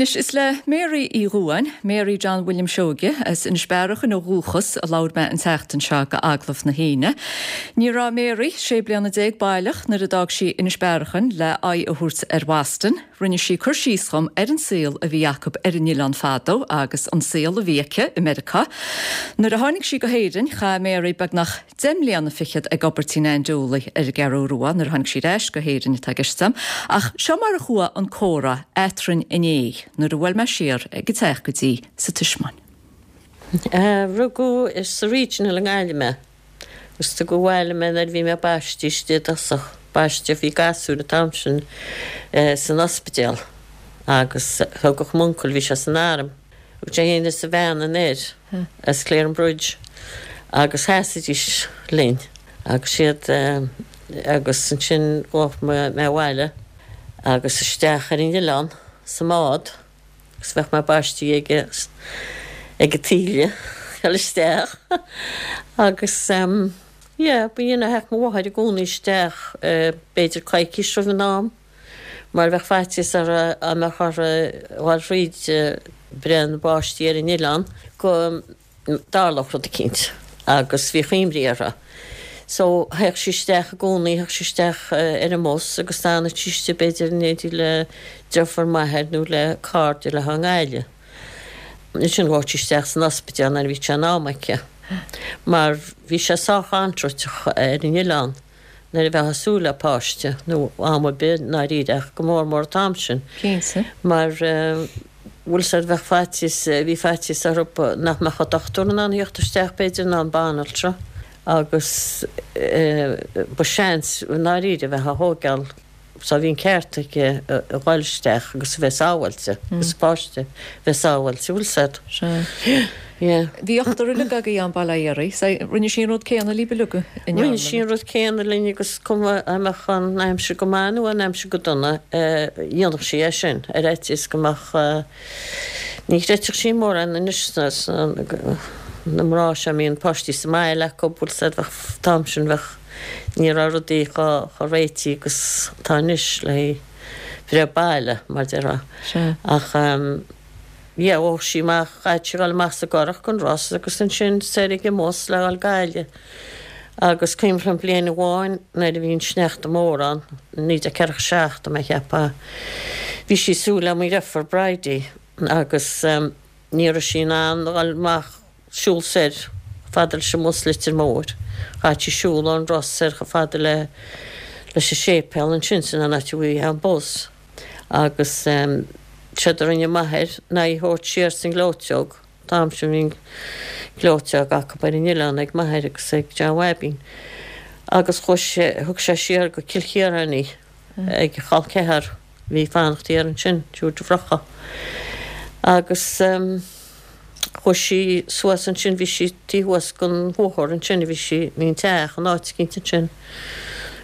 Anois, is le Mary Uí Dhubháin, Mary John William Seoige, as Inis Bearachain ó dhúchas, a labhair mé an tseachtain seo do Agallamh na hAoine. Ní raibh Mary 16 bliana baileach nuair a d'fhág sí Inis Bearachain le aghaidh a thabhairt ar Bhoston. Rinne sí cur síos dhom ar an saol a bhí acu ar an oileán fadó agus an saol a bhí aici i Meiriceá. Nuair a tháinig sí go hÉirinn, chaith Mary beagnach deich mbliana fichead ag obair tí Nan Dooley ar an gCeathrú Rua nuair a tháinig sí ar ais go hÉirinn atá i gceist agam. Ach seo mar a chuaigh an comhrá eatrainn inné nuair a bhuail mé siar ag an teach go dtí sa Tismeáin. Rugadh sa Regional i nGaillimh mé agus tugadh abhaile mé nuair a bhí mé baiste istigh i dtosach. Baiste, bhí gasúir an t-am sin san ospidéal agus thugadh m'uncail, bhí sé san arm, Thug sé féin is a bhean anoir as Clarinbridge agus sheasaidís linn agus siad agus ansin ghabhadh mé abhaile agus isteach ar an oileán sa mbád agus bheadh mé baistí ag ag an taoille dul isteach agus yeah b'in a theacht mo mháthair i gcónaí isteach b'fhéidir coicís roimh an am. mar bheadh faitíos orthu dá mbeadh orthu dhul thríd breith na bpáistí ar an oileán go dtarlódh rud eicínt agus bhíodh imní orthu. So théadh sí isteach i gcónaí, théadh sí isteach ar an mbus agus d'fhanadh sí istigh b'fhéidir in éindí le deirfiúr m'athar nó le cairde léi i nGaillimh. Ansin ghabhadh sí isteach san ospidéal nuair a bhí sé in am aici mar bhí sé sách antrúiteach ar an oileán. nuair a bheifeá ag súil le páiste, nó am ar bith i ndáiríre ach go mór mór an t-am sin. Cinnte. Mar, bhfuil 's a'd, bheadh faitíos, bhí faitíos orthu nach mbeadh an dochtúir in ann a theacht isteach b'fhéidir ná an banaltra agus ba seans i ndáiríre a bheith á thóigeáil So bhí an ceart aici a dhul isteach agus a bheith sábháilte, agus an páiste a bheith sábháilte, bhfuil 's a'd. Sea. Yeah. Bhí ochtar uilig agaibh ann bail ó Dhia oraibh. So rinne sí an rud céanna libh uilig an ndearna? Rinne sí an rud céanna linn agus cuma an mbeadh an aimsir go maith nó an aimsir go dona, dhéanfadh sí é sin ar fhaitíos go mbeadh, ní chreidfeadh sí mórán anois sna na mná seo a mbíonn páistí sa mbaile acu, bhfuil 's a'd, bheadh, an t-am sin bheadh. Ní raibh rudaí chomh réitithe agus atá anois le haghaidh breith baile, mar déarfá. Ach yeah, ghabhadh sí amach, chaithfeadh sí dhul amach sa gcurach gon Ros agus ansin soir ag an mbus le dhul Gaillimh. Agus cuimhin liom bliain amháin nuair a bhí an sneachta mór ann, 1947 tá mé a cheapadh, bhí sí ag súil le mo dhriofúr Bridie agus ní raibh sí in ann dhul amach siúl soir chomh fada leis an mbus Leitir Móir. Chaithfeadh sí siúl ón Ros soir chomh fada le leis an séipéal ansin, sin an áit a bhí an bus. Agus séard a rinne m'athair ná í thabhairt siar sa ngleoiteog, an t-am sin bhí an gleoiteog acu ar an oileán ag m'athair agus ag John Bhaibín. Agus chuaigh sé, thug sé siar go Cill Chiaráin í. ag a chol ceathar a bhí ag fanacht thiar ansin, triúr deirfiúracha. Agus chuaigh sí suas ansin, bhí sí taobh thuas den bhóthar ansin a bhí sí, bhí an teach in áit eicínt ansin.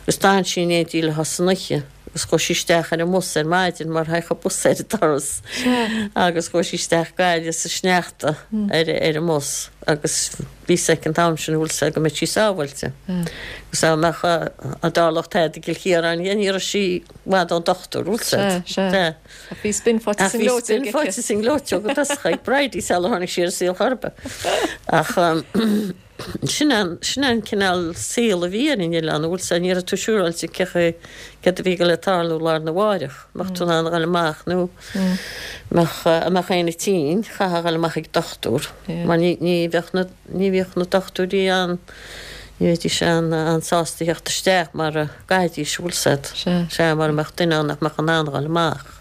Agus d'fhan sí in éindí leo san oíche agus chuaigh sí isteach ar an mbus ar maidin mar thagadh an bus ar an doras agus chuaigh sí isteach Gaillimh sa sneachta ar ar an mbus agus Bhí 's aici an t-am sin bhfuil 's a'd go mbeadh sí sábháilte. Agus dá mbeadh dá dtarlódh tada i gCill Chiaráin di ní raibh sí i bhfad ón dochtúir, bhfuil 's a'd. Sea, sea. Sea. Ach bhí spin faighte sa ngleoiteog aici. Ach bhí spin faighte sa ngleoiteog i dtosach ag Bridie sular tháinig sí ar an saol chor ar bith. Ach sin an, sin an cineál saol a bhí ar an oileán, bhfuil 's a'd, ní raibh tú siúráilte cé chaoi, céard a bhí ag dul le tarlú lá arna mháireach, mbeadh tú in ann a dhul amach nó mbeadh, a mbeadh éinne tinn, chaithfeá a dhul amach ag dochtúir. Mar ní bheadh na, ní bhíodh na dochtúirí an, ní bheidís an, an-sásta theacht isteach mara gcaithfidís, bhfuil 's a'd. Sea, mara mbeadh duine ann nach mbeadh in ann dhul amach.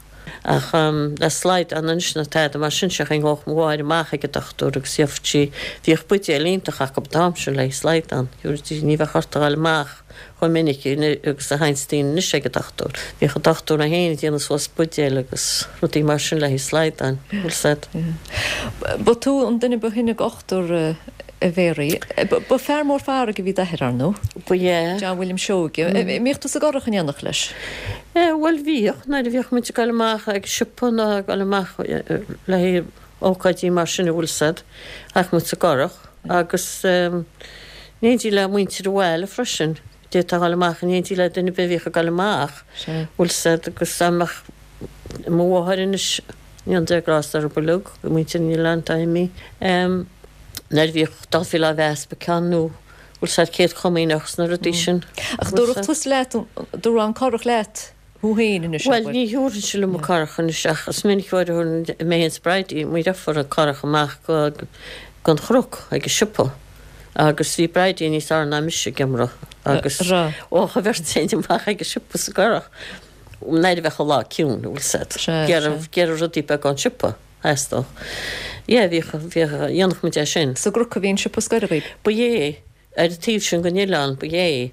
Ach le slaghdán anois ná tada mar sin, sé an chaoi a ngabhadh mo mháthair amach ag an dochtúir agus gheobhadh sí, bhíodh buidéal iontach acu an t-am sin le slaghdán, ní bheadh ort a dhul amach. chomh minic agus a théanns daoine anois ag an dochtúir. Bhíodh an dochtúir é féin ag déanamh suas buidéil agus rudaí mar sin le haghaidh slaghdáin, bhfuil 's a'd. Ba tú an duine ba shine d'ochtar, a Mhéaraí. Ba fear mór farraige a bhí i d'athair, ar ndóigh? Ba ea. John William Seoige. An mbíodh tú sa gcurach in éineacht leis? Bhuel, bhíodh, nuair a bhíodh muid ag dul amach ag siopa nó ag dul amach le haghaidh ócáidí mar sin, an bhfuil 's a'd, théadh muid sa gcurach agus in éindí le muintir an bhaile freisin, d'fhéadfá a dhul amach in éindí le duine ar bith a bhíodh ag dul amach, bhfuil 's a'd, agus dá mbeadh mo mháthair anois. Ndéana Dia grásta orthu uilig, muintir an oileáin atá imithe. Nuair a bhíodh daltaí lá Easpaig ann nó bhfuil 's a'd Céad Chomaoineach 's na rudaí sin. Ach dtabharfadh tusa leat, dtabharfá an curach leat thú féin anois, Bhuel, ní thabharfainnse liom an curach anois ach is minic uair a thabharfainn mé féin 's Bridie, mo dheirfiúr, an curach amach go gon chnoc ag an siopa agus bhí Bridie níos fearr ná mise ag iomramh agus ó, an bheirt againn amach ag an siopa sa gcurach. Nuair a bheadh an lá ciúin, bhfuil 's a'd. D'iarraidh rudaí beaga ón siopa, theastódh. Yeah, bhíodh, bhíodh, dhéanfadh muid é sin. Sa gCnoc a bhí an siopa scoir agaibh? Ba é. Ar an taobh sin den oileán, ba é.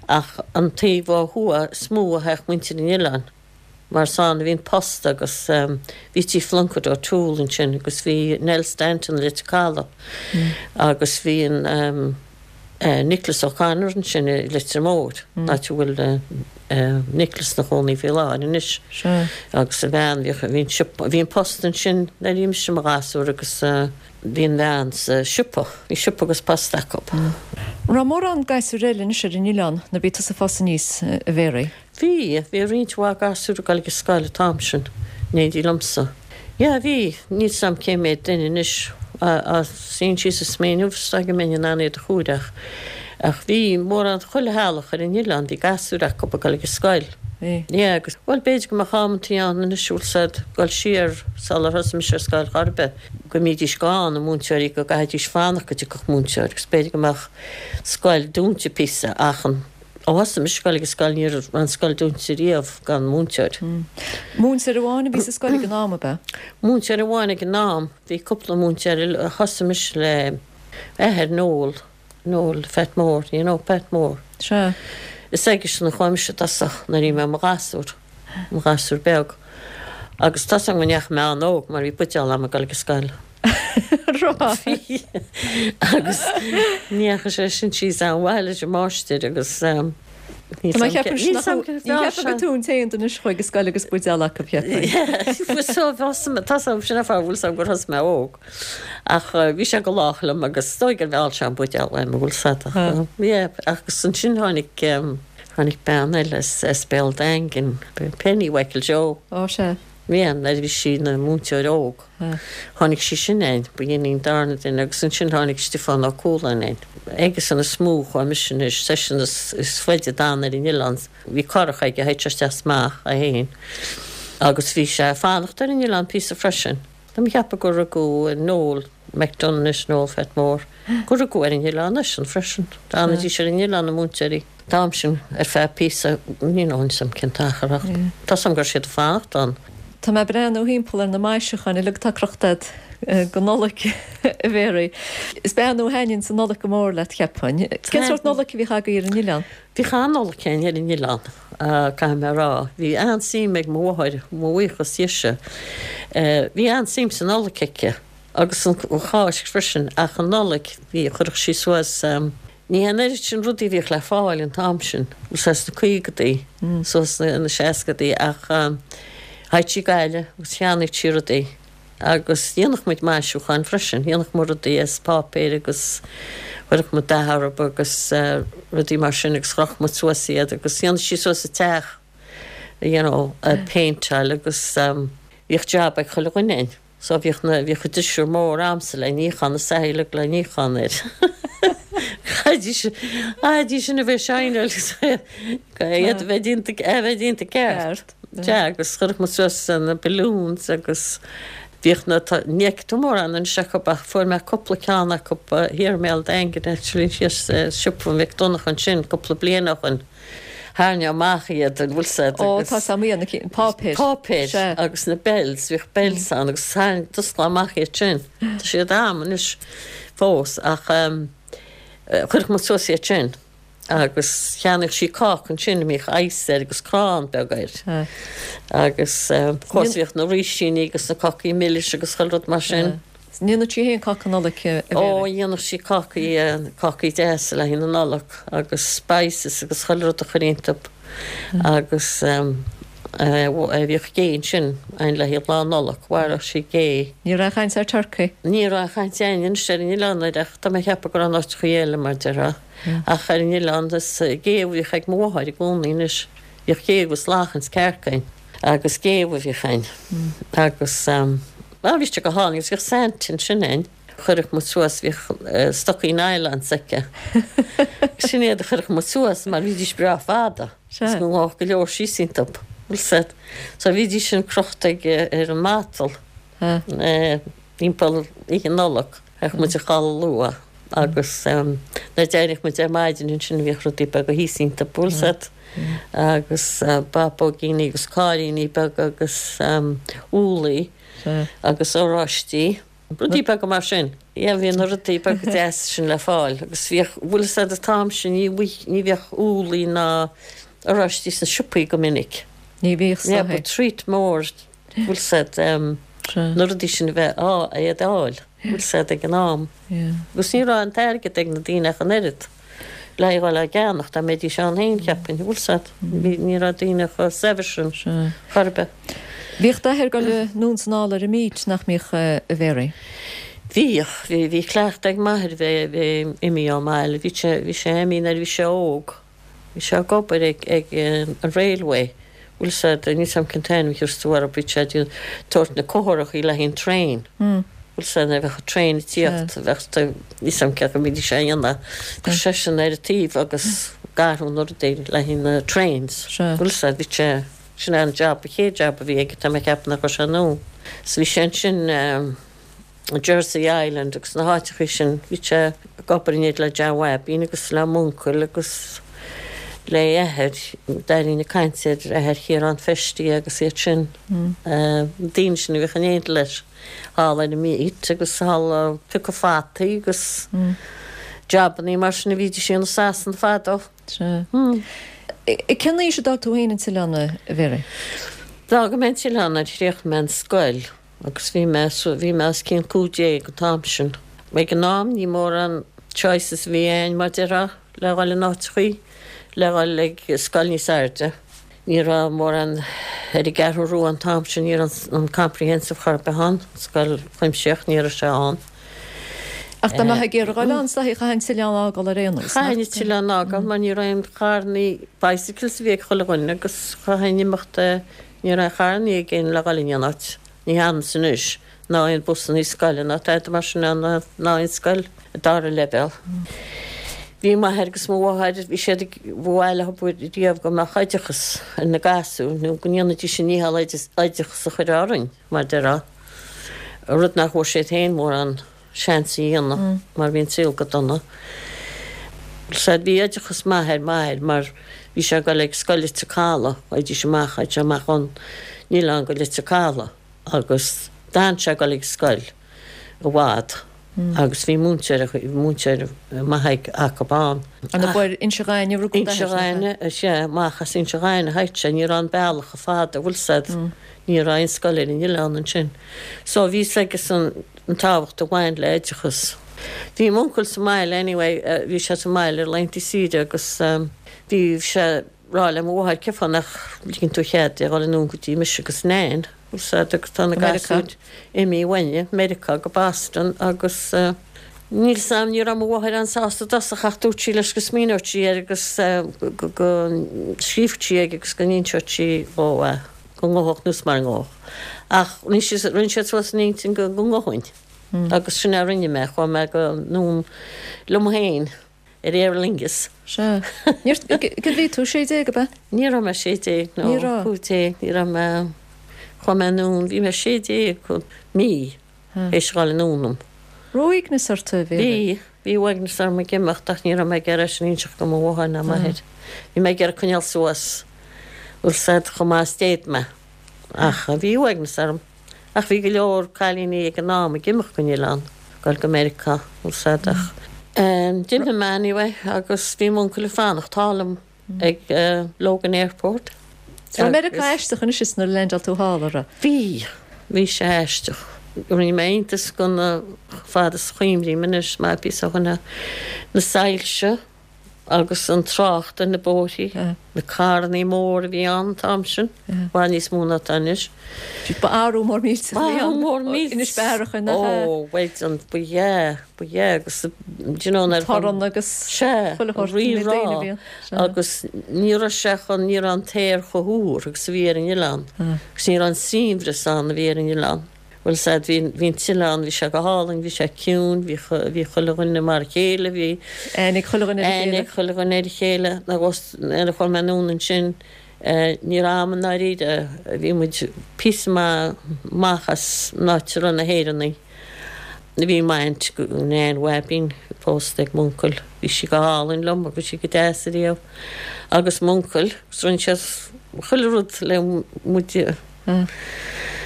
Ach an taobh ó thuaidh is mó a théadh muintir an oileáin, mar is ann a bhí an post agus bhí tí Phlunkett O'Toole ansin agus bhí Nell Stanton i Leitir Caladh agus bhí an, Nicholas O'Connor ansin i Leitir Móir, áit a bhfuil Nicholas ina chónaí faoi láthair anois. Agus a bhean, bhíodh, bhí an siopa, bhí an post ansin nuair a bhí mise i mo ghasúr agus bhí an bhean sa siopa, bhí siopa agus post acu. An raibh mórán gasúir eile anois ar an oileán nuair a bhí tusa ag fás aníos, a Mhéaraí? Bhí, bhí roinnt mhaith gasúr ag dul ag an scoil an t-am sin, in éindí liomsa. Yeah, bhí, níl 's a'm cé méad duine anois, á suíonn síos ag smaoineamh, is dóigh go mbeinn in ann iad a chomhaireamh ach, ach bhí mórán, chuile theaghlach ar an oileán, bhí gasúir acu ag dul ag an scoil. Bhí. Yeah, agus, bhuel, b'fhéidir go mbeadh amantaí ann anois, bhfuil 's a'd, dul siar sular thosaigh mise ar scoil chor ar bith, go mbídís gann, na múinteoirí, go gcaithfidís fanacht go dtiocfadh múinteoir agus b'fhéidir go mbeadh scoil dúnta píosa ach an, Ó thosaigh mise ag dul ag an scoil ní raibh an scoil dúnta riamh gan múinteoir. Múinteoir amháin a bhí sa scoil ag an am, ab ea? Múinteoir amháin ag an am. Bhí cúpla múinteoir eile. Thosaigh mise le athair Noel, Noel Phat Mór, you know Pat Mór. Sea. Is aigesean a chuaigh mise i dtosach nuair a bhí mé i mo ghasúr, mo ghasúr beag. Agus tá 's agam go ndeachaigh mé an-óg mar bhí buidéal agam ag dul ag an scoil. Bhí. Agus ní dheachaigh sé sin síos an-mhaith leis an máistir agus níl 's a'm níl 's a'm ní cheapfainn gur tú an t-aon duine a chuaigh ag scoil agus buidéal acu, cheapfainn. So tá 's agam sin an fáth bhfuil 's agam gur thosaigh mé óg. Ach bhí sé go lách liom agus is dóigh gur mheall sé an buidéal uaim an bhfuil 's a'd ach yeah agus ansin tháinig tháinig bean eile as Béal Daingin, Penny Mhichael Joe. Ó sea. Yeah, nuair a bhí sí ina múinteoir óg. Tháinig sí sin a'inn, ba í an darna duine, agus ansin tháinig Stiofán Ó Cualáin a'inn. Aigesean is mó a chuaigh mise anois, seisean is faide a d'fhan ar an oileán. Bhí curach aige, théadh sé isteach is amach é féin. Agus bhí sé ag fanacht ar an oileán píosa freisin. Tá mé ag ceapadh gur rugadh Noel McDonagh anois, Noel Phat Mór, gur rugadh ar an oileán eisean freisin. D'fhanaidís ar an oileán, na múinteoirí. An t-am sin ar feadh píosa, níl a fhios agam cén t-achar ach tá 's agam go raibh siad ag fanacht ann. Tá mé ag breathnú thimpeall ar na maisiúcháin uilig atá crochta agat don Nollaig, a Mhéaraí. Is bean nó a thaitníonns an Nollaig go mór leat, cheapfainn. Cén sórt Nollaig a bhíodh agaibh ar an oileán? Bhíodh an-Nollaig againn ar an oileán, caithfidh mé a rá. Bhí an-suim ag mo mháthair, mo bhuíochas dhise, bhí an-suim sa Nollaig aici agus an Cháisc freisin ach an Nollaig, bhí, chuirfeadh sí suas, Ní an oiread sin rudaí a bhíodh le fáil an t-am sin, suas sna caogadaí, suas sna seascadaí ach théadh sí Gaillimh agus cheannaíodh sí rudaí agus dhéanfadh muid maisiúcháin freisin, dhéanfadh muid rudaí as páipéir agus chuirfeadh muid dath orthu agus rudaí mar sin agus chroch muid suas iad agus dhéanadh sí suas an teach, you know, péinteáil agus bhíodh jab ag chuile dhuine againn. So bhíodh na, bhíodh an drisiúr mór a'msa le níochán, na soithí uilig le níochán air. Chaithfidís, chaithfidís sin a bheith shineáil agus iad a bheith déanta, a bheith déanta ceart. Sea, agus chuirfeadh muid suas na balloons agus bhíodh na, ní fheicfidh tú mórán anois acu ach fuair mé cúpla ceann acu thiar i mBéal Daingin actually thíos i siopa Mhic Donncha ansin cúpla bliain ó shoin. Tharraing amach iad, an bhfuil 's a'd, Ó, tá 's a'm iad, na cinn, páipéir. Páipéir, Sea. agus na bells, bhíodh bells ann agus tharraing, d'osclófá amach iad sin. Tá siad a'm anois fós ach ehm chuirfeadh muid suas iad sin agus cheannaíodh sí cáca ansin a mbíodh ice air agus crann beag air. Sea. Agus eh of course bhíodh na rísíní agus na cácaí milis agus chuile rud mar sin. Sea. Ndéanadh sí féin cáca Nollag, a Mhéaraí? Ó, dhéanadh sí cácaí, cácaí deasa le haghaidh na Nollag agus spices agus chuile rud a chur iontu agus bhíodh gé ansin againn le haghaidh Lá Nollag, mharódh sí gé. Ní raibh aon chaint ar turcaí? Ní raibh aon chaint againn anois ar an oileán air ach tá mé ag ceapadh go raibh in áiteachaí eile mar déarfá. Ach ar an oileán is gé a bhíodh ag mo mháthair i gcónaí anois. Bhíodh gé agus lachain 's cearc againn. Agus géabha a bhíodh ann. Agus bhuel bhí sé go hálainn agus bhíodh Santa ansin ann. Chuirfeadh muid suas, bhíodh stocaí nylon s'aici. Sin iad a chuirfeadh muid suas mar bhídís breá fada. Is go ngabhfadh go leor síos iontu. Bhfuil 's a'd. So bhídís sin crochta ag ar an matal. Timpeall Oíche Nollag théadh muid a chodladh luath agus nuair a d'éiríodh muid ar maidin ansin bhíodh rudaí beaga thíos iontu, bhfuil 's a'd, agus bábóigíní agus cairríní beaga agus úllaí agus oráistí, rudaí beaga mar sin. Yeah, bhí na rudaí beaga deasa sin le fáil agus bhíodh, bhfuil 's a'd an t-am sin ní ní bhíodh úllaí ná oráistí sna siopaí go minic. Ní bhíodh, Yeah, ba treat mór bhfuil 's a'd, na rudaí sin a bheith á, iad a fháil, bhfuil 's a'd, ag an am. Agus ní raibh an t-airgead ag na daoine ach an oiread le dhul á gceannach, dá mbeidís ann féin, cheapfainn, bhfuil 's a'd. Ní raibh daoine chomh saibhir sin chor ar bith. Bhíodh d'athair ag dul anonn is anall ar an mbeach, nach mbíodh, a Mhary? Bhíodh, bhí, bhí cleachtadh ag m'athair bheith, bheith imithe ón mbaile, bhí sé, bhí sé imithe nuair a bhí sé óg. Bhí sé ag obair ag an railway, bhfuil 's a'd, níl 's a'm cén t-ainm a chuir tú air, bhí sé ag tabhairt na cóthaireachaí le haghaidh an traein, bhfuil 's a'd, nuair a bheadh an traein ag tíocht, bheadh, níl 's a'm cén chaoi a mbídís á dhéanamh, bheadh seisean ar an taobh agus ag athrú na rudaí le haghaidh na trains, bhfuil 's a'd, bhí sé, sin é an job, an chéad job a bhí aige, tá mé ag ceapadh nach raibh sé anonn. So bhí sé ansin. Jersey Island agus na háiteachaí sin. Bhí sé ag obair in éindí le John Bhaibín agus le m'uncail agus le athair. D'éirínn ag caint ar athair Chiarán Feistí agus iad sin. Na daoine sin a bhíodh in éindí leis thall ar an mbeach agus thall ag piocadh fataí agus jabannaí mar sin a bhídís a dhéanamh i Sasana fadó. Sea. Cén aois a d'fhág tú féin an t-oileán, a Mhary? D'fhág mé an t-oileán nuair a chríochnaigh mé an scoil. Agus bhí mé, bhí mé os cionn 15 an t-am sin. Ag an am ní mórán choices a bhí ann, mar déarfá, le dhul in áiteachaí, le dhul ag scoil níos airde. Ní raibh mórán ar an gCeathrú Rua an t-am sin, ní raibh an comprehensive chor ar bith ann, scoil chuimsitheach, ní raibh sé ann. Ach dá mbeifeá ag iarraidh dhul ann, is dóichí, chaithfeá an t-oileán a fhágáil ar aon nós, nach? Chaithfinn an t-oileán a fhágáil mar ní raibh aon charrannaí, bicycles a bhí ag chuile dhuine agus chaithfinn imeacht Ní raibh aon charrannaí ag éinne le dhul in aon áit, ní hionann anois, ná aon busannaí scoile ná tada mar sin ann ná aon scoil dara leibhéal. Bhí m'athair agus mo mháthair, bhí siad ag, ba mhaith leo riamh go mbeadh oideachas ar na gasúir nó go ndéanfaidís a ndícheall oideachas a chur orainn, mar déarfá, rud nach bhfuair siad féin mórán. seans a dhéanamh mar bhí an saol go dona. Sea, bhí oideachas maith ar m'athair mar bhí sé ag dul ag scoil Leitir Caladh, théidís amach, théadh sé amach ón oileán go Leitir Caladh agus d'fhan sé ag dul ag scoil i bhfad agus bhí múinteoir, múinteoir maith acu ann. An ab ar Inse Ghainimh a rugadh d'athair? Inse Ghainimh, sea, amach as Inse Ghainimh a théadh sé, ní raibh an bealach chomh fada, bhfuil 's a'd, ní raibh aon scoil ar an oileán ansin. So bhí 's aigesan an tábhacht a bhain le oideachas. Bhí m'uncail sa mbaile anyway, bhí sé sa mbaile ar laethanta saoire agus bhí sé ag rá le mo mháthair cén fáth nach ligeann tú cead di a dhul anonn go dtí mise agus Nain, bhfuil 's a'd, agus tá na gasúir imithe uainne, Meiriceá go Boston agus níl 's a'm, ní raibh mo mháthair an-sásta i dtosach ach dúirt sí leis go smaoineodh sí air agus go scríobhadh sí aige agus go n-inseodh sí dhó é. go ngabhfadh nó mara ngabhfadh. Ach rinne siad, rinne siad suas a n-intinn go ngabhfainn. Agus sin é a rinne mé, chuaigh mé go anonn liom féin ar Aer Lingus. Sea. Níor, cad bhí tú, 16 ab ea? Ní raibh mé 16, no. Ní raibh. 15, ní raibh mé, chuaigh mé anonn, bhí mé 16 mí théis a dhul anonn liom. Raibh uaigneas ort, a Mhary? Bhí, bhí uaigneas orm ag imeacht ach ní raibh mé ag iarraidh sin a inseacht do mo mháthair ná m'athair. Bhí mé ag iarraidh coinneáil suas, bhfuil 's a'd, chomh maith is d'fhéad mé. Ach bhí uaigneas orm. Ach bhí go leor cailíní ag an am ag imeacht gon oileán, goil go Meiriceá, bhfuil 's a'd, ach d'imigh mé anyway agus bhí m'uncail ag fanacht thall liom. ag Logan Airport. Raibh Meiriceá aisteach anois is nuair a leaindeáil tú thall, a raibh? Bhí. Bhí sé aisteach. Rinne mé iontas de na, fad is a chuimrím anois, maith píosa ó shoin, na soilse. Agus an trácht ar na bóithrí, na carrannaí móra a bhí ann an t-am sin, i bhfad níos mó ná atá anois. Ba athrú mór millteach a bhí ann. Mór millteach. Inis Bearach nach ea? Ó, bhuel, an, ba ea, ba ea, agus, do you know, nuair. Torann agus Sea, chuile shórt, rí na daoine a bhí ann. Sea. Agus ní raibh sé chun, ní raibh an t-aer chomh húr agus a bhí ar an oileán. Agus ní raibh an saibhreas ann a bhí ar an oileán. Bhuel sea, bhí, bhí an t-oileán, bhí sé go hálainn, bhí sé ciúin, bhí, bhí chuile dhuine mar a chéile, bhí. Aithne ag chuile dhuine ar a chéile. Aithne ag chuile dhuine ar a chéile. Nuair a chuaigh mé anonn ansin, ní raibh a'm i ndáiríre, bhí muid píosa maith amach as an áit a raibh na hÉireannaigh. Bhí m'aint, Nain Bhaibín, pósta ag m'uncail, bhí sí go hálainn liom agus bhí sí go deas ariamh. Agus m'uncail, agus rinne siad chuile rud le muid a.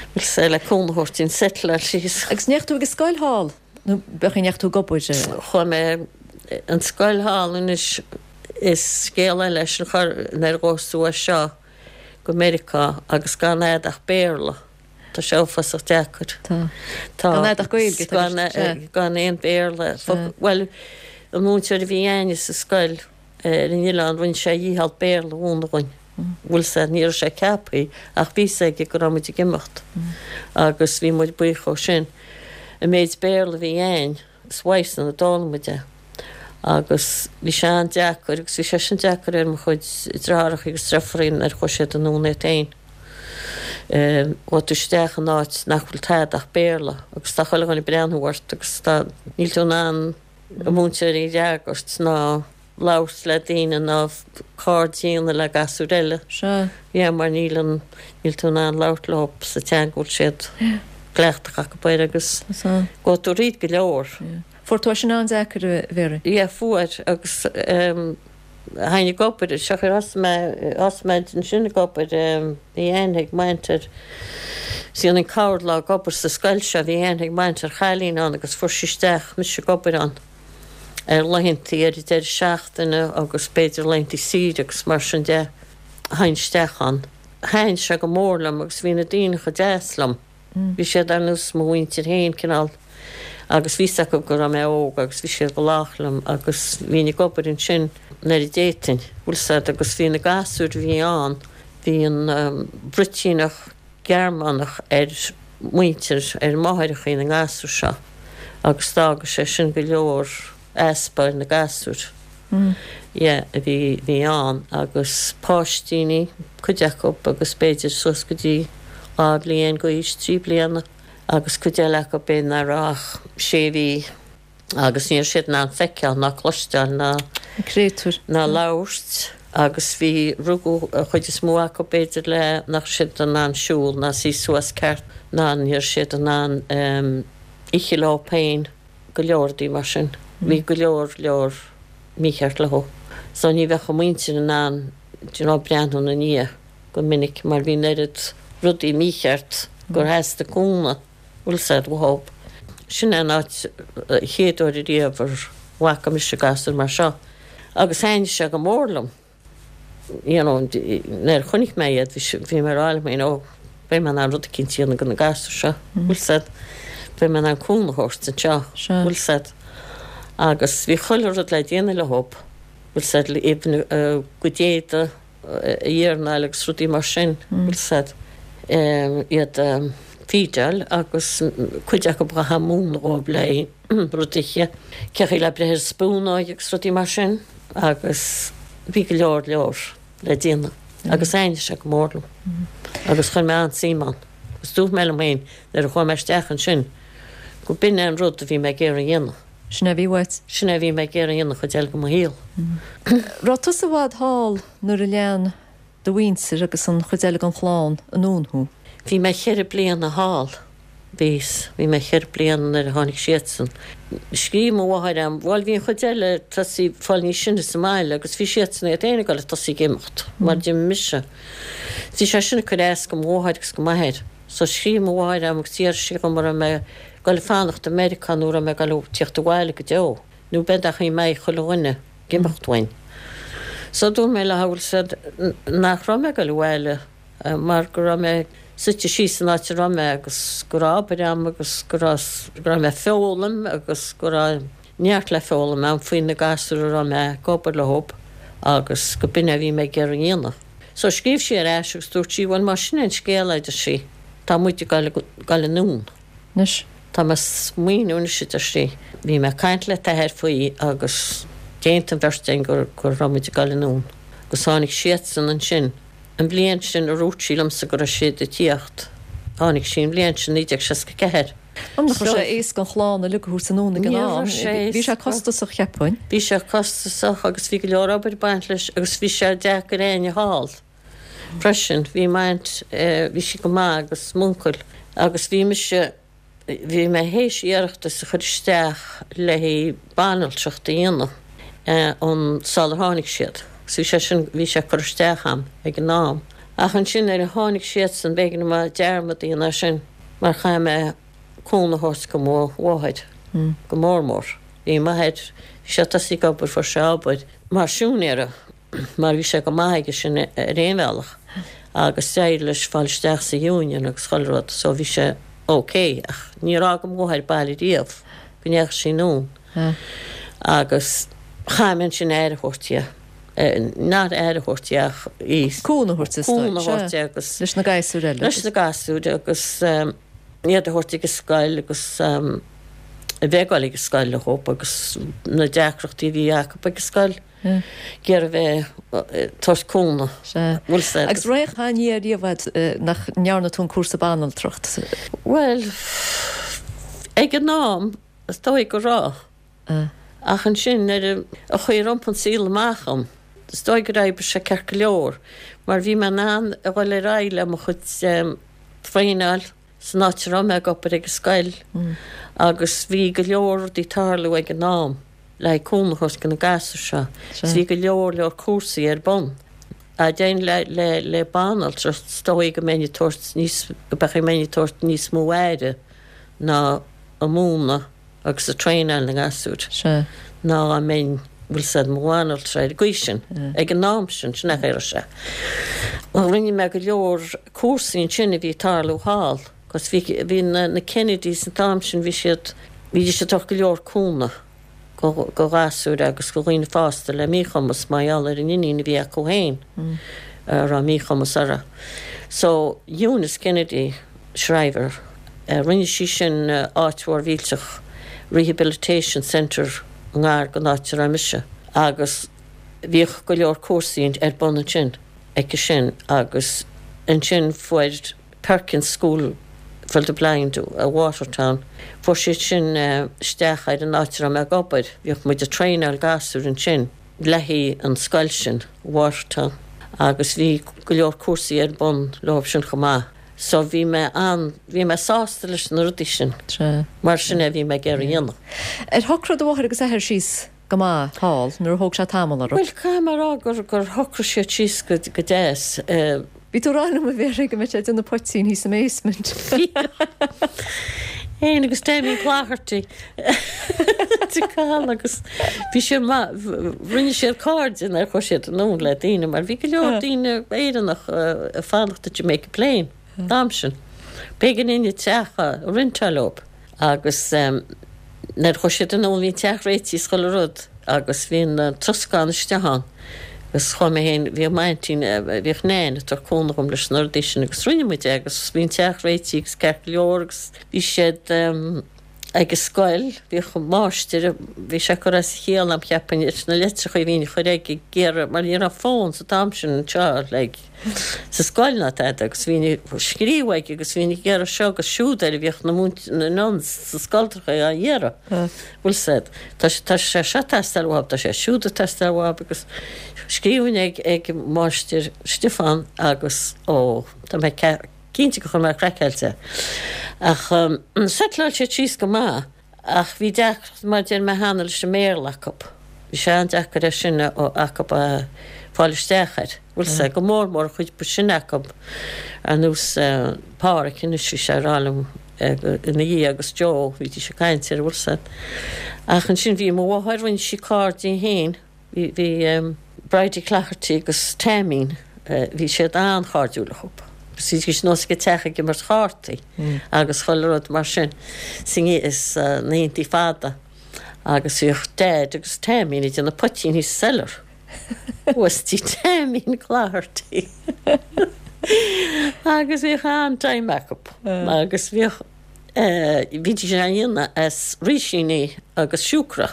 Bhuel sea, le cúnamh a thabhairt dúinn settleáil síos. Agus an ndeachaigh tú ag an scoil thall? Nó b'fhéidir an ndeachaigh tú ag obair? Chuaigh mé an scoil thall anois is scéal eile é sin chor nuair a ghabhas tú as seo go Meiriceá agus gan a'd ach Béarla. Tá sé uafásach deacair. Tá. Tá. Gan a'd ach Gaeilge. Gan, gan aon Bhéarla. Bhuel, an múinteoir a bhí a'inne sa scoil, Ar an oileán rinne sé a dhícheall Béarla a mhúineadh dhúinn. Bhuel sea, ní raibh sé ceaptha ach bhí 'fhios aige go raibh muid ag imeacht agus bhí muid buíoch dhó sin. An méid Béarla a bhí a'inn, is uaidhsean a d'fhoghlaim muid é. Agus bhí sé an-deacair agus bhí sé sin deacair ar mo chuid deartháireacha agus deirfiúraí nuair a chuaigh siad anonn iad féin. Ghabh tú isteach in áit nach bhfuil tada ach Béarla agus tá chuile dhuine ag breathnú ort agus tá, níl tú in ann an múinteoir a fhreagairt ná labhairt le daoine ná cairde a dhéanamh le gasúir eile. Sea. Yeah, mar níl an, níl tú in ann labhairt leo sa teanga a bhfuil siad cleachtach acu air agus gabhfaidh tú thríd go leor. Yeah. Fuair tú é sin an-deacair, a Mhary? Yeah, fuair agus théinn ag obair, seo chuir thosaigh mé, thosaigh mé ansin ag obair, bhí aithne ag m'aint ar, dhéanfainn corrlá ag obair sa scoil seo, bhí aithne ag m'aint ar chailín ann agus fuair sí isteach mise ag obair ann ar laethantaí ar an deireadh seachtaine agus b'fhéidir laethantaí saoire agus mar sin de, théinn isteach ann. Thaitin sé go mór liom agus bhí na daoine chomh deas liom. Bhí siad ar nós mo mhuintir féin, cineál, agus bhí 'fhios acu go raibh mé óg agus bhí siad go lách liom agus bhínn ag obair ansin nuair a d'fhéadfainn, bhfuil 'fhios a'd, agus bhí na gasúir a bhí ann, bhí an bruitíneach Gearmánach ar mhuintir, ar mháithreachaí na ngasúr seo agus d'fhága sé sin go leor easpa ar na gasúir. Yeah, a bhí, bhí ann agus páistíní, cuid acu agus b'fhéidir suas go dtí 2 bhliain d'aois, 3 bliana agus cuid eile acu b'fhéidir nach raibh ach sé mhí agus ní raibh siad in ann feiceáil ná cloisteáil ná, Na créatúir. ná labhairt agus bhí, rugadh an chuid is mó acu b'fhéidir le nach raibh siad in ann siúl ná suí suas ceart ná ní raibh siad in ann ithe leo féin. go leor rudaí mar sin. Bhí go leor leor mícheart leo. So ní bheadh a muintir in ann do you know breathnú ina ndiaidh go minic mar bhí an oiread rudaí mícheart gur theastaigh cúnamh, bhfuil 'fhios a'd, uathu. Sin é an áit chéad uair ariamh ar bhfaca mise gasúr mar seo agus thaitnigh sé go mór liom. you know, nuair a chonaic mé iad, bhí mé ag rá liom féin, oh, beidh mé in ann rud eicínt a dhéanamh do na gasúir seo, bhfuil 'fhios a'd, beidh mé in ann cúnamh a thabhairt anseo, bhfuil 'fhios a'd. Agus bhí chuile rud le déanamh leo, bhfuil 'fhios a'd, even a gcuid éadaí a iarnáil agus rudaí mar sin, bhfuil 'fhios a'd, iad a feedáil agus cuid acu chaithfeá múineadh dhóibh le rud a ithe, cé chaoi le breith ar spúnóig agus rudaí mar sin agus bhí go leor leor le déanamh agus thaitnigh sé go mór liom agus chuir mé an-suim ann agus dúirt mé liom féin nuair a chuaigh mé isteach ansin go b'in é an rud a bhí mé ag iarraidh a dhéanamh. Sin é a bhí uait. Sin é a bhí mé ag iarraidh a dhéanamh an chuid eile de mo shaol. Raibh tusa i bhfad thall nuair a lean do mhuintir agus an chuid eile den chlann anonn thú? Bhí mé cheithre bliana thall. Bhíos. Bhí mé cheithre bliana nuair a tháinig siadsan. Scríobh mo mháthair a'm, bhuel bhí an chuid eile ag tosaí fáil níos sine sa mbaile agus bhí siadsan iad féin ag dul ag tosaí ag imeacht mar d'imigh mise. Bhí sé sin ag cur as go mo mháthair agus go m'athair. So scríobh mo mháthair a'm agus d'iarr sí dhom an raibh mé ag dul ag fanacht i Meiriceá nó an raibh mé ag dul ag tíocht abhaile go deo nó b'in an chaoi a mbeidh chuile dhuine ag imeacht uainn. So dúirt mé léi, bhfuil 'fhios a'd, nach raibh mé ag dul abhaile. mar go raibh mé suite síos san áit a raibh mé agus go raibh obair a'm agus go raibh, go raibh mé ag foghlaim agus go raibh. neart le foghlaim a'm faoi na gasúir a raibh mé ag obair leob agus go b'in é a bhí mé ag iarraidh a dhéanamh. So scríobh sí ar ais agus dúirt sí, bhuel má sin é an scéal, a deir sí, tá muid ag goil anonn. Anois. Tá mé ag smaoineamh anois, a deir sí. Bhí mé ag caint le t'athair faoi agus d'aontaigh an bheirt againn go go raibh muid ag goil anonn. Agus tháinig siadsan ansin. An bhliain sin a dhúirt sí liomsa go raibh siad ag tíocht, tháinig sí an bhliain sin, 1964. Nach raibh sé éasca an chlann uilig a thabhairt anonn ag an Ní am. raibh sé Bhí sé éasca. costasach, cheapfainn. Bhí sé costasach agus bhí go leor obair ag baint leis agus bhí sé deacair éinne a fháil. freisin. Bhí m'aint, bhí sí go maith agus m'uncail agus bhí mise, bhí mé théis iarratas a chur isteach le haghaidh banaltracht a dhéanamh an sular tháinig siad. So bhí sé sin, bhí sé curtha isteach a'm ag an am. Ach ansin nuair a tháinig siadsan b'éigean dom dearmad a dhéanamh air sin mar chaith mé cúnamh a thabhairt go mo mháthair go mór mór. Bhí m'athair, bhí sé tosaithe ag obair, fuair sé obair mar siúinéara. mar bhí sé go maith aige sin ar aon bhealach agus d'éirigh leis fáil isteach sa Union agus chuile rud so bhí sé ok ach níor fhág mo mháthair baile riamh go ndeachaigh sí anonn agus chaith mé ansin aire a thabhairt di, not aire a thabhairt di ach í. Cúnamh a thabhairt di, Cúnamh a thabhairt di agus. Leis na gasúir eile. Leis na gasúir agus iad a thabhairt ag an scoil agus a bheith ag dul ag an scoil leo agus na deacrachtaí a bhí acu ag an scoil. Ag iarraidh bheith ag tabhairt cúnamh. Sea. Bhfuil 's a'd. Agus raibh aon ní ariamh a'd nach ndearna tú an cúrsa banaltracht? Bhuel, ag an am, is dóigh go raibh. Ach ansin, nuair a chuaigh rompu an saol amach dhom, is dóigh gur oibrigh sé ceart go leor, mar bhí mé in ann a dhul ar aghaidh le mo chuid traenáil san áit a raibh mé ag obair ag an scoil agus bhí go leor rudaí ag tarlú ag an am. le haghaidh cúnamh a thabhairt do na gasúir seo. Is bhí go leor leor cúrsaí ar bun. A dein le le le banaltra is dóigh go mbeinn ag tabhairt níos go mbeadh mbeinn ag tabhairt níos mó aire ná ag múineadh agus ag traenáil na ngasúr ná dá mbeinn bhfuil 's a'd i mo bhanaltra ar an gcaoi sin ag an am sin sin é a raibh sé. Rinne mé go leor cúrsaí ansin a bhí ag tarlú thall. Agus bhí, bhí na, na Kennedys an t-am sin, bhí siad, bhídís ag tabhairt go leor cúnamh go, go ghasúir agus go dhaoine fásta le míchumas mar gheall ar an iníon a bhí acu féin a raibh míchumas uirthi. So, Eunice Kennedy Shriver, rinne sí sin áit mhór mhillteach, Rehabilitation Centre i ngar don áit a raibh mise agus bhíodh go leor cúrsaí ar bun ansin aici sin agus ansin fuair, Perkins School for the Blind i Watertown. Fuair siad sin isteach ar an áit a raibh mé ag obair. Bhíodh muid ag traenáil gasúir ansin le haghaidh an scoil sin, Watertown, agus bhí go leor cúrsaí ar bun leo sin chomh maith. So bhí mé an, bhí mé sásta leis na rudaí sin. Mar sin é a bhí mé ag iarraidh a dhéanamh. Ar shocraigh do mháthair agus athair síos go maith thall nó ar thóg sé tamall orthu? Bhuel, caithfidh mé a rá gur, gur shocraigh siad síos go, go deas. Bhí tú ag rá liom a Mhéaraí go mbeadh sé ag déanamh poitín thíos sa mbasement. Féin agus Damien Cloherty de Cathal agus bhí sé maith, rinne siad cairde nuair a chuaigh siad anonn le daoine mar bhí go leor daoine Éireannach ag fanacht i Jamaica Plain an t-am sin. B'éigean dúinn an teach a rentáil leo. Agus nuair a chuaigh siad anonn bhí an teach réitithe is chuile rud agus bhí an troscán istigh ann agus chuaigh mé féin, bhíodh m'aintín, bhíodh Nain ag tabhairt cúnamh dhom leis na rudaí sin agus rinne muid é agus bhí an teach réitithe agus ceart go leor agus bhí siad ag an scoil, bhíodh an máistir, bhí sé ag cur as a chiall a'm cheapfainn leis na litreacha a bhínn a chur aige ag iarraidh mar ní raibh fón sa t-am sin anseo like. sa scoil ná tada agus bhínn ag scríobh aige agus bhínn ag iarraidh seo agus siúd air a bhíodh na múint na nuns sa scoltracha á iarraidh. Bhfuil 's a'd. Tá sé tá sé seo ag teastáil uathub, tá sé siúd ag teastáil uathub agus scríobhainn ag ag Máistir Stiofán agus ó tá mé cinnte gur chuir mé craiceáilte. Ach settleáil siad síos go maith. Ach bhí deacracht, mar a deir mé cheana, leis an mBéarla acu. Bhí sé an-deacair é sin acu a fáil isteach air. Bhfuil 's a'd, go mór mór an chuid ba sine acu, ar nós Páraic anois, bhí sé ag rá liom ina dhiaidh agus Joe, bhídís ag caint air, bhfuil 's a'd. Ach ansin bhí mo mháthair, rinne sí cairde di féin. Bhí Bridie Cloherty agus Taimín, bhí siad an-chairdiúil acu. Bhídís anuas ag an teach ag imirt chártaí agus chuile rud mar sin sna laethantaí fada. Agus bhíodh Daid agus Taimín ag déanamh poitín thíos sa cellar. Thuas tí Taimín Cloherty. Agus bhíodh an-time acu. Agus bhíodh, bhídís á dhéanamh as rísíní agus siúcra.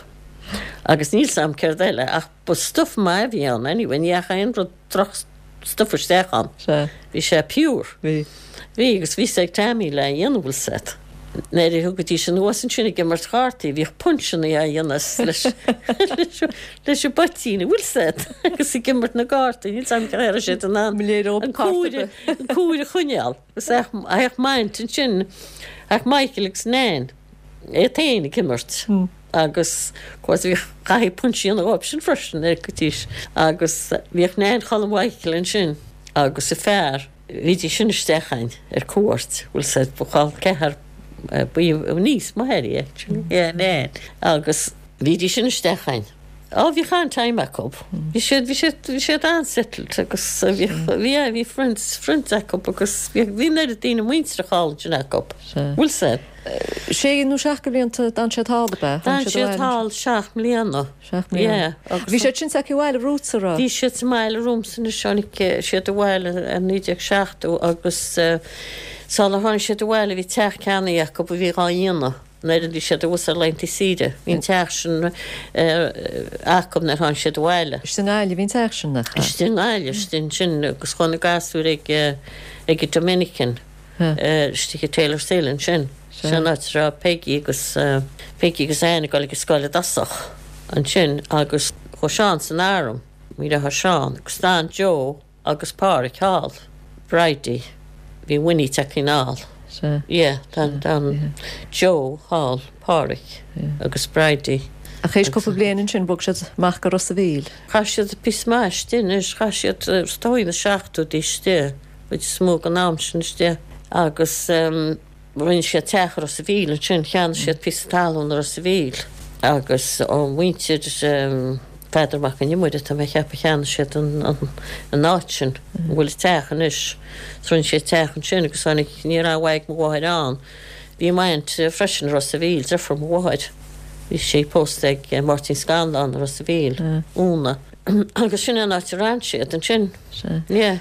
Agus níl 's a'm céard eile ach ba stuff maith a bhí ann anyway, ní dheachaigh aon rud droch stuff isteach ann. Sea. Bhí sé pure. Bhí. Bhí, agus bhí 's ag Tammy le dhéanamh bhfuil 's a'd. Nuair a thugaidís anuas ansin ag imirt chártaí, bhíodh punseanna á dhéanamh leis leis an bpoitín, bhfuil 's a'd, agus ag imirt na gcártaí, níl 's a'm cén chaoi a raibh siad in ann an cúire an cúire a choinneáil. Agus théadh m'aint ansin, théadh Michael agus Nan, iad féin ag imirt. Agus of course bhíodh caithfidh punch a dhéanamh dhóibh sin freisin ar goidís agus bhíodh Nain Cholm Mhichael ansin agus a fear, bhídís sin isteach a'inn ar cuairt, bhfuil 's a'd, ba chol ceathar, ba í niece m'athair í actually, yeah, Nain, agus bhídís sin isteach a'inn. Á bhíodh an-time acu, bhí siad, bhí siad, bhí siad an-settled agus bhíodh, bhí, yeah, bhí friends, friends acu agus bhí, bhí an oiread daoine muinteartha thall ansin acu, bhfuil 's a'd. Sé nó seacht de bhlianta d'fhan siad thall, ab ea? D'fhan siad thall seacht mbliana. Seacht mbliana. Yeah. Agus Bhí siad sin s'aici abhaile romhatsa, raibh? Bhí siad sa mbaile romhamsa anois, tháinig siad abhaile i 1970 agus sular tháinig siad abhaile bhí teach ceannaithe acu a bhí dhá dhéanamh nuair a bhí siad abhus ar laethanta saoire. Bhí an teach sin acu nuair a tháinig siad abhaile. Istigh i nGaillimh bhí an teach sin, nach ea? Istigh i nGaillimh, istigh ansin agus chuaigh na gasúir ag ag an Dominican. Istigh i Taylor's Hill ansin. Sin an áit a raibh Peggy agus Peggy agus Anne ag dul ag an scoil i dtosach ansin agus chuaigh Seán san arm, mo dheartháir Seán, agus d'fhan Joe agus Páraic thall. Bridie, bhí Winnie tagtha anall. Sea. Yeah, d'fhan, d'fhan Joe thall, Páraic agus Bridie. Ach théis cúpla bliain ansin bhog siad amach go Ros a' Mhíl. Chaith siad píosa maith istigh anois, chaith siad, is dóigh, na seachtóidí istigh. chuid is mó den am sin istigh agus rinne siad teach i Ros a' Mhíl ansin, cheannaigh siad píosa talún i Ros a' Mhíl agus ó mhuintir Pheadar Mac an Iomaire, tá mé a cheapadh, cheannaigh siad an áit sin a bhfuil an teach anois. So rinne siad teach ansin agus tháinig, ní raibh ag mo mháthair ann, bhí m'aint freisin i Ros a' Mhíl, deirfiúr mo mháthair, bhí sí pósta ag Máirtín Scanlán i Ros a' Mhíl, Úna. Agus sin é an áit a raibh siad ansin. Sea. Yeah.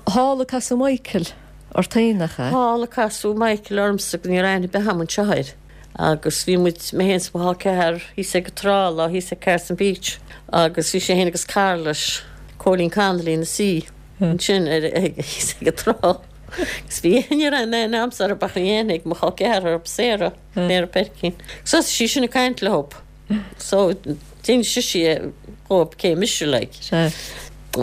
Thall a casadh Michael ort féin, nach ea? Thall a casadh Michael ormsa, ní raibh aithne ar bith agam anseo air. Agus bhí muid, mé féin is mo chol ceathar, thíos ag an trá lá, thíos ag Carson Beach, agus bhí sé féin agus cara leis, Cóilín Connolly ina suí ansin ar, thíos ag an trá. Agus bhí, ní raibh aon aithne agamsa orthu ach bhí aithne ag mo chol ceathar orthu, Sarah, Sarah Perkin. Agus thosaigh sí sin ag caint leo. So, d'inis sise dhóibh cé mise, like. Sea.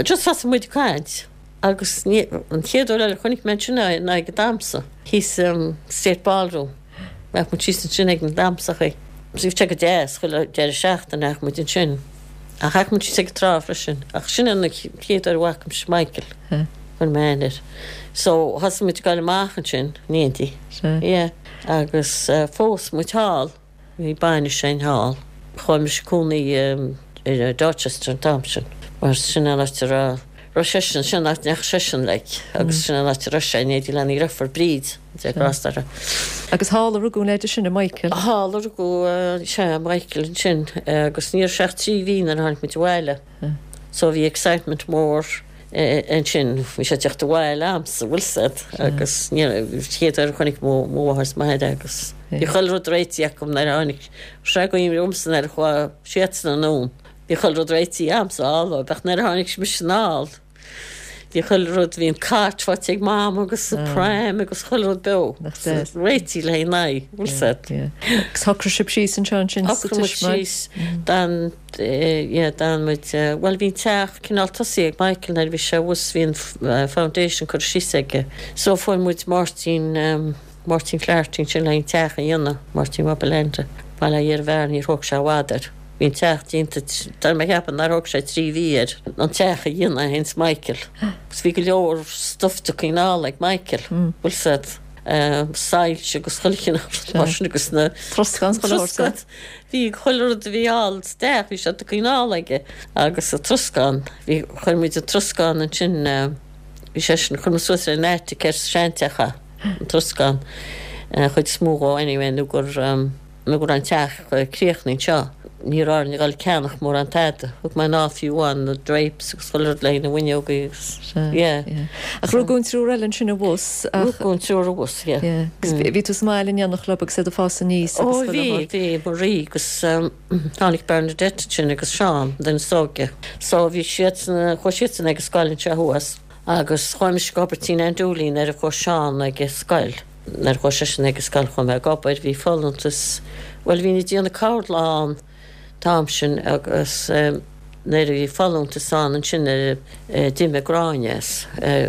Just thosaigh muid ag caint agus ní, an chéad uair eile a chonaic mé ansin é ná ag an damsa, thíos sa State Ballroom. Bheadh muid síos ansin ag na damsachaí. Bhí sé go deas, chuile deireadh seachtaine bheadh muid ansin. Ach bheadh muid síos ag an trá freisin. Ach sin an chéad uair a bhfaca mise Michael. Sea. Chuir mé aithne air. So, thosaigh muid ag dul amach ansin, in éindí. Sea. Yeah. Agus phós muid thall. Bhí bainis againn thall. Chuaigh mise cónaí i Dorchester an t-am sin mar sin an áit a raibh raibh seisean, sin an áit a ndeachaigh seisean like agus sin an áit a raibh sé in éindí lena dheirfiúr Bríd, Dia grásta uirthi. Agus thall a rugadh an leaid sin, Michael? Thall a rugadh, sea, Michael ansin agus ní raibh sé ach 3 mhí nuair a tháinig muid abhaile. So bhí excitement mór ansin, bhí sé ag teacht abhaile a'msa, bhfuil 's a'd, agus ní raibh, chéad uair a chonaic mo mháthair is m'athair é agus bhí chuile rud réitithe acu nuair a tháinig sé go dtí nuair a chuaigh siadsan anonn, bhí chuile rud réitithe a'msa thall ach nuair a tháinig mise anall, Bhí chuile rud, bhí an cairt faighte ag Mam agus an pram agus chuile rud beo. Nach deas. Réitithe le haghaidh an aghaidh, bhfuil 's a'd. Agus shocraigh sibh síos anseo ansin sa Shocraigh muid Tismeáil? síos, d'fhan, yeah, d'fhan muid, bhuel bhí an teach cineál tosaithe ag Michael nuair a bhí sé abhus, bhí an foundation curtha síos aige. So fuair muid Máirtín, Máirtín Flaherty ansin le haghaidh an teach a dhéanamh, Máirtín Mac Bileanta, bail ó Dhia ar a mheabhair, níor thóg sé i bhfad air. Bhí an teach déanta, tá mé ag ceapadh nár thóg sé 3 mhí air an teach a dhéanamh é féin is Michael. Agus bhí go leor stuff tugtha anall ag Michael, bhfuil 's a'd, soilse agus chuile chineál rud mar sin agus na Troscán is chuile shórt. Troscán. Bhí chuile rud a bhí thall sa teach, bhí sé tugtha anall aige agus an troscán, bhí, chuir muid an troscán ansin, bhí seisean, chuir muid suas ar an attic ar sa seanteach é, an troscán, an chuid is mó dhó anyway nó gur. Nuair go raibh an teach críochnaithe anseo, ní raibh orainn a dhul ag ceannach mórán tada. Thug mé anall fiú amháin na drapes agus chuile rud le haghaidh na bhfuinneogaí agus, yeah. Yeah. Ach rugadh an triúr eile ansin abhus ach. Rugadh an triúr abhus, yeah. Yeah. Agus bhí tú sa mbaile in éineacht leo agus iad ag fás aníos agus chuile shórt. Ó bhí, bhí, Marie agus tháinig Bernadette ansin agus Seán, an duine is óige. So bhí siadsan, chuaigh siadsan ag an scoil anseo thuas agus chuaigh mise ag obair tí Nan Dooley nuair a chuaigh Seán ag an scoil. Nuair a chuaigh seisean ag an scoil chuaigh mé ag obair, bhí folúntas, bhuel bhínn ag déanamh corrlá an t-am sin agus nuair a bhí folúntas ann ansin nuair a d'imigh Gráinne as,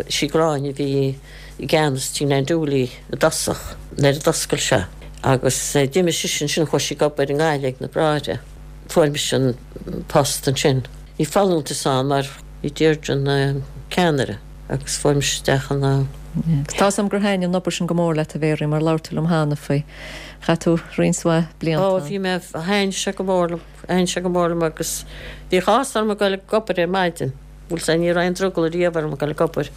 sí Gráinne a bhí i gceannas tí Nan Dooley i dtosach nuair a d'oscail sé agus d'imigh sise ansin chuaigh sí ag obair i nGaillimh ag na Bráithre. Fuair mise an post ansin. Bhí folúntas ann mar bhí Deirdre ina ceannaire. Agus fuair mise isteach ina. Tá 's a'm gur thaitin an obair sin go mór leat a Mhéaraí mar labhair tú liom cheana faoi. Chaith tú roinnt mhaith blianta Ó bhí mé, thaitin sé go mór liom, thaitin sé go mór liom agus bhíodh áthas orm ag dul ag obair ar maidin. Bhuel sea, ní raibh aon drogall riamh orm ag dul ag obair.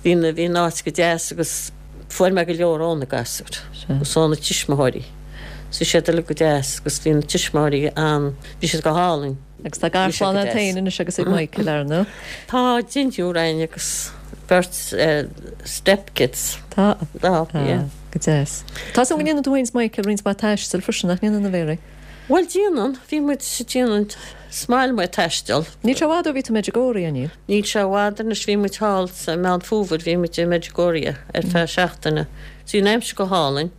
Bhí na, bhí an áit go deas agus fuair mé go leor ó na gasúir agus ó na tuismitheoirí. Bhí siad uilig go deas agus bhí na tuismitheoirí an, bhí siad go hálainn. Agus tá garchlann agat féin anois agus ag Michael, ar ndóigh. Tá deichniúr againn agus beirt stepkids. Tá. Tá, yeah. Go deas. Tá 's agam go ndéanann tú féin is Michael roinnt mhaith taistil freisin, nach ndéanann, a Mhéaraí? Bhuel, déanann. Bhí muid, déanann. Is maith liom ag taisteal. Níl sé i bhfad ó bhí tú i Medjugorje, an níl? Níl sé i bhfad anois. Bhí muid thall sa Meán Fómhair, bhí muid i Medjugorje ar feadh seachtaine. Bhí an aimsir go hálainn.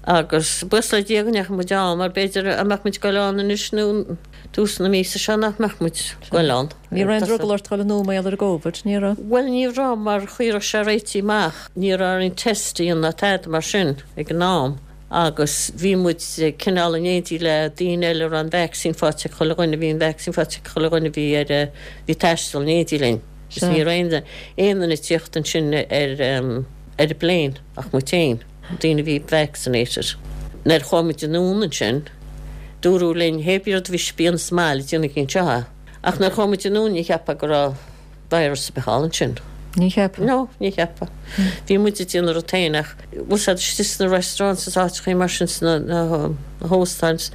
Agus buíochas le Dia go ndeachaigh muid ann, mar b'fhéidir dá mbeadh muid ag goil ann anois nó tús na míosa seo nach mbeadh muid ag goil ann. Ní raibh aon drogall ort dul anonn mar gheall ar an gCóivid, ní raibh? Bhuel, ní raibh, mar cha raibh sé réitithe amach. Ní raibh orainn test a dhéanamh ná tada mar sin ag an am agus bhí muid cineál in éindí le daoine eile a raibh an vaccine faighte ag chuile dhuine, bhí an vaccine faighte ag chuile dhuine a bhí ar, bhí ag taisteal in éindí linn. Agus ní raibh aon duine ag tíocht ansin ar an bplane ach muid féin. daoine a bhí vaccinated. Nuair a chuaigh muid anonn ansin, dúradh linn, hé bí rud a bhí sibh a dhéanamh sa mbaile, déanaigí anseo é. Ach nuair a chuaigh muid anonn, ní cheapfá go raibh virus ar bith thall ansin. Ní cheapfá? No, ní cheapfá. Bhí muid ag déanamh rud féin ach, bhfuil 's a'd, istigh sna restaurants is áiteachaí mar sin, sna hóstáins,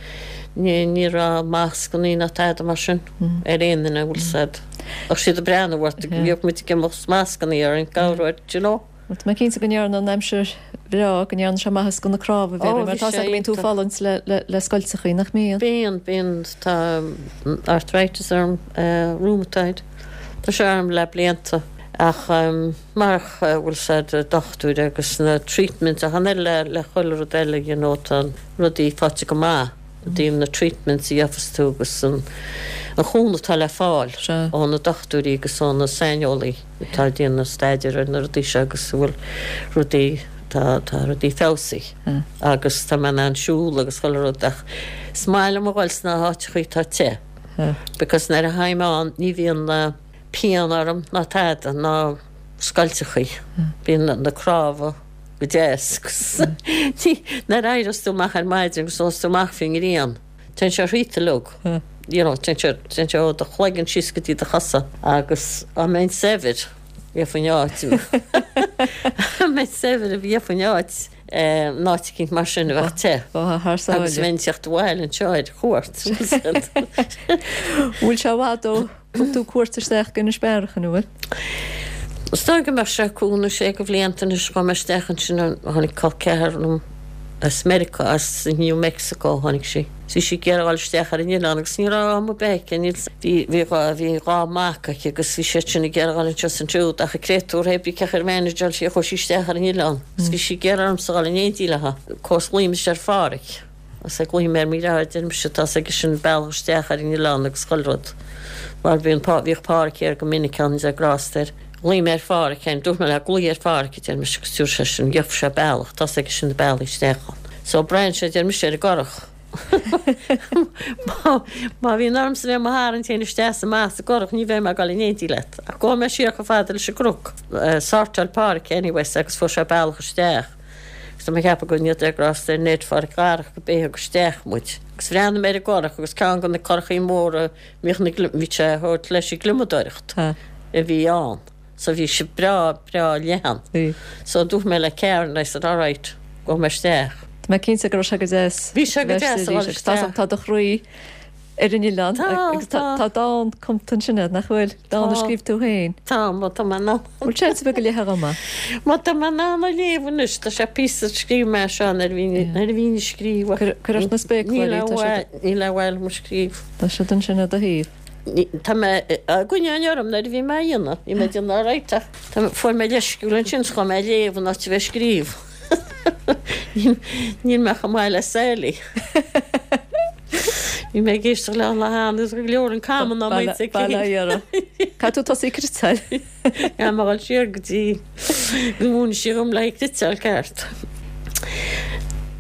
ní, ní raibh mascannaí ná tada mar sin ar aon duine, bhfuil 's a'd. Bheadh siad ag breathnú ort, bhíodh muid ag imeacht 's mascannaí orainn, cabhair, do you know. Tá mé cinnte go ndearna an aimsir bhreá, go ndearna sé maitheas do na cnámha, a Mhéaraí, mar tá 's agam go mbíonn tú ag fulaingt le scoilteachaí, nach mbíonn? Bíonn, bíonn, tá arthritis orm, rheumatoid, tá sé orm le blianta ach marach bhfuil 's a'd dochtúir agus na treatments ach an oiread le chuile rud eile you know tá rudaí faighte go maith. i dtaobh na treatments a gheofas tú agus an chúnamh atá le fáil ó na dochtúirí agus ó na saineolaí atá ag déanamh staidéir ar na rudaí seo agus a bhfuil rudaí, tá, tá rudaí feabhsaithe agus tá mé in ann siúl agus chuile rud ach is maith liom a dhul sna háiteachaí atá te because nuair a théim ann ní bhíonn pian orm ná tada ná scoilteachaí, bíonn na cnámha. go deas agus nuair a éireos tú amach ar maidin agus gabhas tú amach faoin ngrian, téann sé thríot uilig, you know, téann sé, téann sé ó do chloigeann síos go dtí do chosa agus dá mbeinn saibhir, gheofainn áit, dá mbeinn saibhir gheofainn áit, in áit eicínt mar sin a bheadh te agus bheinn ag teacht abhaile anseo ar chuairt. Bhfuil sé i bhfad ó Thug tú cuairt isteach go Inis Bearach, an bhfuil? Is dóigh go mbeadh sé cúig nó sé de bhlianta anois chuaigh mé isteach ansin tháinig col ceathar liom as Meiriceá, as New Mexico tháinig sí. Bhí sí ag iarraidh dul isteach ar an oileán agus ní raibh am ar bith aici, níl, bhí, bhí dhá, bhí dhá mac aici agus bhí siad sin ag iarraidh dul anseo is ansiúd ach an créatúr hé brí cén chaoi ar mhanageáil sí chuaigh sí isteach ar an oileán agus bhí sí ag iarraidh ormsa dul in éindí léi. Course ghlaoigh mise ar Pháraic. Is glaofaidh mé ar mo dheartháir, deir mise, tá's aige sin an bealach isteach ar an oileán agus chuile rud. Mar bhí an, bhíodh Páraic thiar go minic ann, Dia grásta air. Ghlaoigh mé ar Pháraic féin, dúirt mé leis, glaoigh ar Pháraic, a deir mise, agus dúirt seisean, gheobhaidh sé bealach, tá's aige sin na bealaí isteach ann. So braitheann sé, a deir mise, ar an gcurach. Má bhíonn ormsa bheith i mo tharraingt féin isteach is amach sa gcurach, ní bheidh mé ag dul in éindí leat. Ach gabhfaidh mé siar chomh fada leis an gcnoc. Sortáil Páraic anyways agus fuair sé bealach isteach. Agus tá mé ag ceapadh go ndéanfaidh Dia grásta ar Ned Pháraic Dharach go b'é a thug isteach muid. Agus bhreathnaigh mé ar an gcurach agus ceann de na curachaí móra a mbíodh na bhí sé a thabhairt leis ag gliomadóireacht a bhí ann. So bhí sé breá, breá leathan. So dúirt mé le Karen, I said, all right, gabhfaidh mé isteach. Tá mé cinnte go raibh sé go deas. Bhí sé go deas a dhul isteach. Tá do chroí ar an oileán agus tá dán cumta ansin agat, nach bhfuil? Dán a scríobh tú féin. Tá, má tá mé in ann. Bhfuil seans ar bith go léifeá dhom é? Má tá mé in ann a léamh anois, tá sé píosa a scríobh mé seo nuair a bhínn nuair a bhínn ag scríobh ach Cuir ort na spéacláirí, tá siad. Níl a bhfuil mo scríobh. Tá siad ansin ar do thaobh. Tá mé á gcoinneáil orm nuair a bhí mé á dhéanamh. Bhí mé ag déanamh alright ach fuair mé leisciúil ansin 's chuaigh mé ag léamh in áit a bheith ag scríobh. Níl mé chomh maith le Sally. Bhí mé ag éisteacht le lá cheana agus go leor an common á maíomh aici. Bail ó Dhia orthu. Caithfidh tú tosaí ag cniotáil. Caithfidh mé dhul siar go dtí go múinfidh sí dhom le haghaidh cniotáil ceart.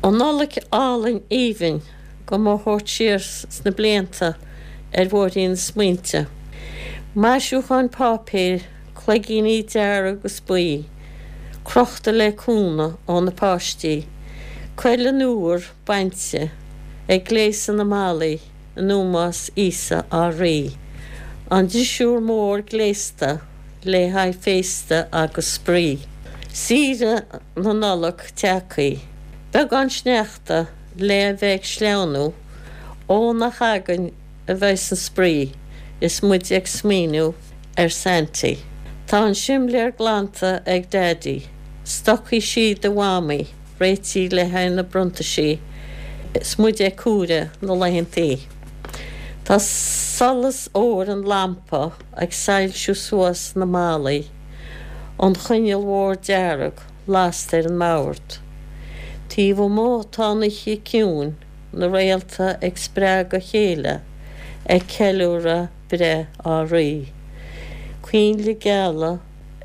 An Nollaig álainn aoibhinn do mo thabhairt siar sna blianta ar bhóithrín na smaointe. Maisiúcháin páipéir Cloigíní dearg agus buí, crochta le cúnamh ó na páistí, cuileann úr bainte, ag gléasadh na mballaí in ómós Íosa ár Rí. An drisiúr mór gléasta le haghaidh féasta agus spraoi. Saoire na Nollag tagthaí. Beagán sneachta le a bheith ag sleamhnú, ó nach againn a bheas an spraoi is muid ag smaoineamh ar Santy. Tá an simléar glanta ag Daidí, stocaí sí do Mhamaí réitithe le haghaidh na bronntaisí is muid ag comhaireamh na laethantaí. Tá solas óir an lampa ag soilsiú suas na ballaí, an choinneal mhór dearg lasta ar an mbord. Taobh amuigh tá an oíche ciúin. na réalta ag spreagadh a chéile, ag ceiliúradh breith ár Rí. Coinnle geala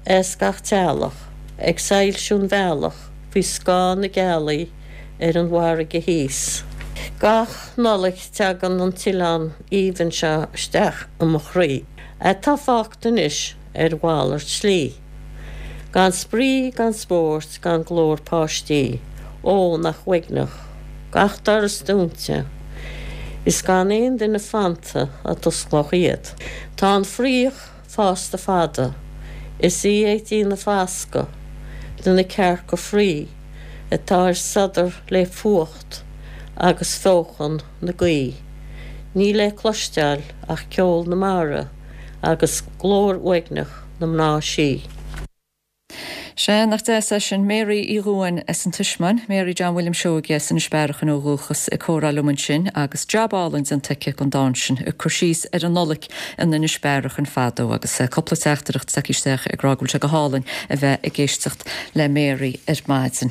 as gach teallach, ag soilsiú an bhealach faoi scáth na gealaí ar an bhfarraige thíos. Gach Nollaig tagann an t-oileán aoibhinn seo isteach i mo chroí, atá fágtha anois ar mhalairt slí. Gan spraoi, gan spórt, gan glór páistí, ó, nach uaigneach, gach doras dúnta, is gan aon duine fanta a d'osclódh iad. Tá an fraoch fásta fada, is í ag déanamh fascadh de na cearca fraoigh atá ar sodar le fuacht agus feochan na gaoithe. Níl le cloisteáil ach ceol na mara agus glór uaigneach na mná sí. Sea, nach deas é sin. Mary Uí Dhubháin as an Tismeáin, Mary John William Seoige as Inis Bearachain ó dhúchas ag comhrá liom ansin agus jab álainn déanta aici den dán sin, ag cur síos ar an Nollaig in Inis Bearachain fadó agus cúpla teachtaireacht tagtha isteach ag rá go bhfuil sé go hálainn a bheith ag éisteacht le Mary ar maidin.